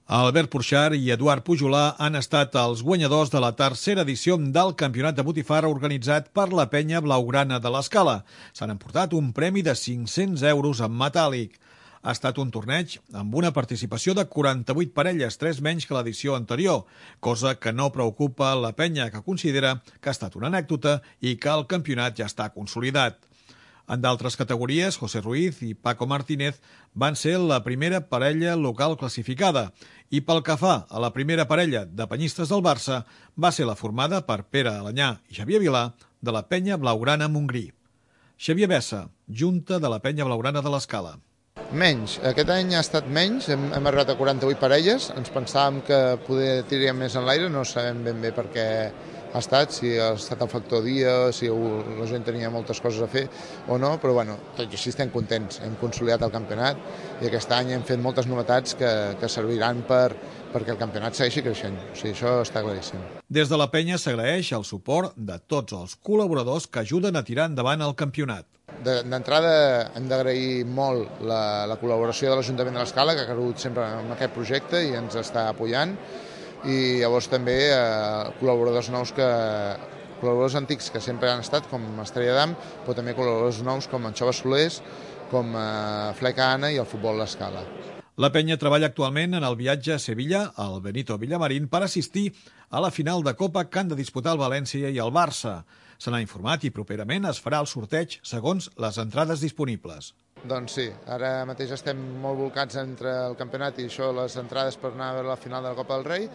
Albert Porxar i Eduard Pujolà han estat els guanyadors de la tercera edició del Campionat de Botifarra organitzat per la penya blaugrana de l'Escala. S'han emportat un premi de 500 euros en metàl·lic. Ha estat un torneig amb una participació de 48 parelles, 3 menys que l'edició anterior, cosa que no preocupa la penya, que considera que ha estat una anècdota i que el campionat ja està consolidat. En d'altres categories, José Ruiz i Paco Martínez van ser la primera parella local classificada i pel que fa a la primera parella de penyistes del Barça va ser la formada per Pere Alanyà i Xavier Vilà de la penya blaugrana Montgrí. Xavier Bessa, junta de la penya blaugrana de l'Escala. Menys. Aquest any ha estat menys, hem arribat a 48 parelles, ens pensàvem que poder tiraríem més en l'aire, no sabem ben bé per què ha estat, si ha estat el factor dia, si la gent tenia moltes coses a fer o no, però bueno, tot i així estem contents, hem consolidat el campionat i aquest any hem fet moltes novetats que serviran perquè el campionat segueixi creixent, o sigui, això està claríssim. Des de la penya s'agraeix el suport de tots els col·laboradors que ajuden a tirar endavant el campionat. D'entrada hem d'agrair molt la col·laboració de l'Ajuntament de l'Escala, que ha cregut sempre en aquest projecte i ens està apoyant, i llavors també col·laboradors nous col·laboradors antics que sempre han estat, com Estrella d'Am, però també col·laboradors nous com en Xova Solers, com Fleca Anna i el Futbol l'Escala. La penya treballa actualment en el viatge a Sevilla, al Benito Villamarín, per assistir a la final de Copa que han de disputar el València i el Barça. Se n'ha informat i properament es farà el sorteig segons les entrades disponibles. Doncs sí, ara mateix estem molt volcats entre el campionat i això, les entrades per anar a veure la final de la Copa del Rei,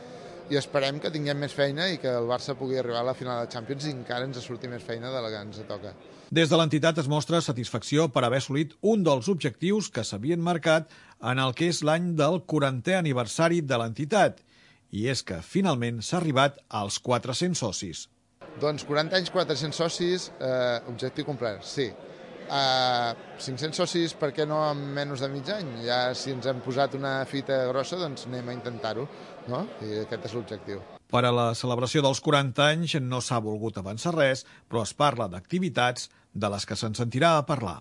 i esperem que tinguem més feina i que el Barça pugui arribar a la final de Champions i encara ens surti més feina de la que ens toca. Des de l'entitat es mostra satisfacció per haver assolit un dels objectius que s'havien marcat en el que és l'any del 40è aniversari de l'entitat, i és que finalment s'ha arribat als 400 socis. Doncs 40 anys, 400 socis, objectiu complert, sí. 500 socis, per què no en menys de mig any? Ja si ens hem posat una fita grossa, doncs anem a intentar-ho, no? I aquest és l'objectiu. Per a la celebració dels 40 anys no s'ha volgut avançar res, però es parla d'activitats de les que se'n sentirà a parlar.